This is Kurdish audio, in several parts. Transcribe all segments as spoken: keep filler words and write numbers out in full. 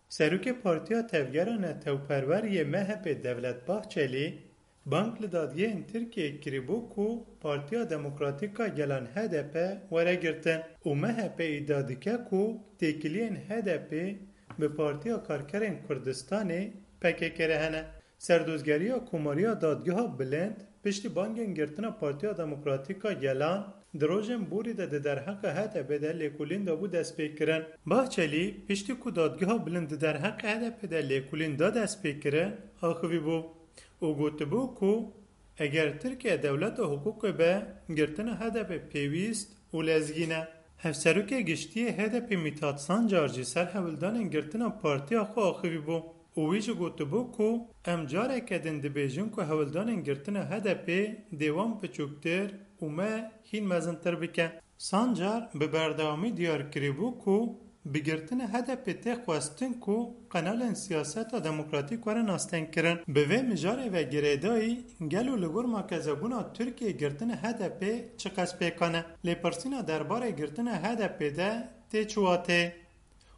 Serokê Partiya Tevgera Netewperwer yê M H P Devlet Bahçelî bang li dadgehên Tirkiyeyê kiribû ku Partiya Demokratîk a Gelan H D P were girtin û M H P îdia dike ku têkiliyên H D P bi Partiya Karkerên Kurdistanê P K K re hene. Serdozgeriya Komariya Dadgeha Bilind piştî bangên girtina Partiya Demokratîk a Gelan di rojên borî de di derheqa H D P de lêkolîn de bû destpêkirin. Bahçelî piştî ku Dadgeha Bilind di derheqa H D P de lêkolîn da destpêkirin, axivî bû û gotibû ku eger Tirkiye dewleta hiqûqê be, girtina H D P pêwîst û lezgîn e. Hevserokê Giştî yê H D P Mithat Sancar jî ser hewldanên girtina partiya xwe axivî bû û wî jî gotibû ku em careke din dibêjin ku hewldanên girtina H D P dê wan biçûktir û me hîn mezintir bike. Sancar bi berdewamî diyar kirîbû ku bi girtina H D P tê xwestin ku qenalên siyaseta demokratîk were nastenkirin. Bi vê mijarê ve girêdayî gelo li gor makezebûna Tirkiyê girtina H D P çiqas pêkan e? Lêpirsîna derbarê girtina H D P de tê çi wateyê?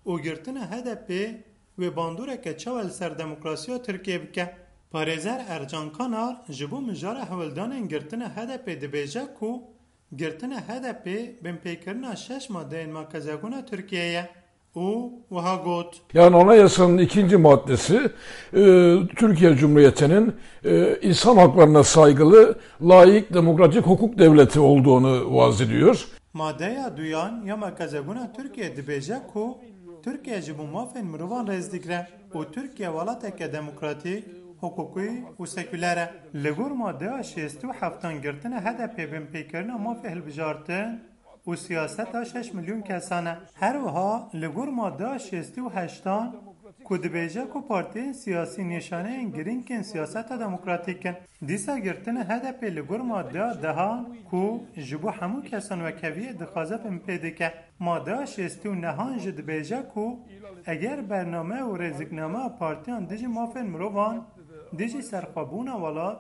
Û girtina H D P wê bandoreke çawa li ser demokrasiya Tirkiyê bike? Parêzer Ercan Kanar ji bo mijara hewldanên girtina H D P dibêje ku girtina H D P binpêkirina şeş madeyên makezebûna Tirkiyê ye û wiha got. Yani Anayasanın ikinci maddesi, e, Türkiye Cumhuriyeti'nin, e, insan haklarına saygılı, layık, demokratik hukuk devleti olduğunu vaz ediyor. Madeya duyan ya makezebûna Tirkiyê dibêje ku Tirkiye ji bo mafên mirovan rêz digre û Tirkiye welateke demokratîk, hiqûqî û sekûler e. Li gor madeya şêstî û heftan girtina H D P binpêkirina mafê hilbijartin û siyaseta şeş milyon kesan e. Her wiha li gor madeya şêstî û heştan ku dibêje ku partiyên siyasî nîşaneyên girîngên siyaseta demokratîk in. Dîsa girtina H D P li gor madeya dehan ku ji bo hemû kesan wekheviyê dixwaze binpê dike. Madeya şêstî û nehan jî dibêje ku eger bername û rêziknameya partiyan dijî mafên mirovan, dijî serxwebûna welat,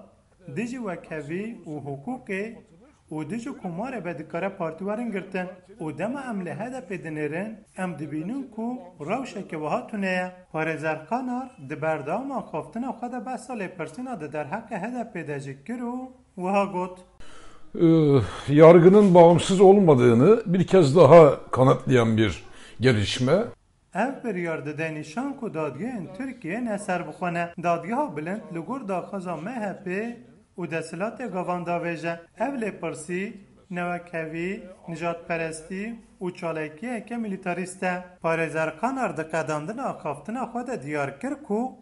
dijî wekhevî û hiqûqê û dijî komarê be dikare partî werin girtin û dema em li H D P dinêrin, em dibînin ku rewşeke wiha tune ye. Parêzer Kanar di berdewama axaftina xwe de behsa lêpirsîna di derheqê H D P de jî kir û wiha got. Ee, yargının bağımsız olmadığını bir kez daha kanıtlayan bir gelişme. Ev biryar dide nîşan ku dadgehên Tirkiyê ne serbixwe ne. Dadgeha Bilind li gor daxwaza M H P û desthilatê gavan davêje. Ev lêpirsî, newekhevî, nijadperestî û çalakiyeke milîtarîst e. Parêzer Kanar di qedandina axaftina xwe de diyar kir ku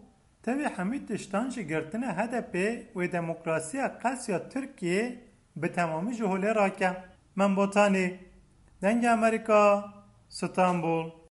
tevî hemî tiştan jî girtina H D P wê demokrasiya qesiya Tirkiyê bi temamî ji holê rake. Mem Botanî, Dengê Amerîka, Stenbul.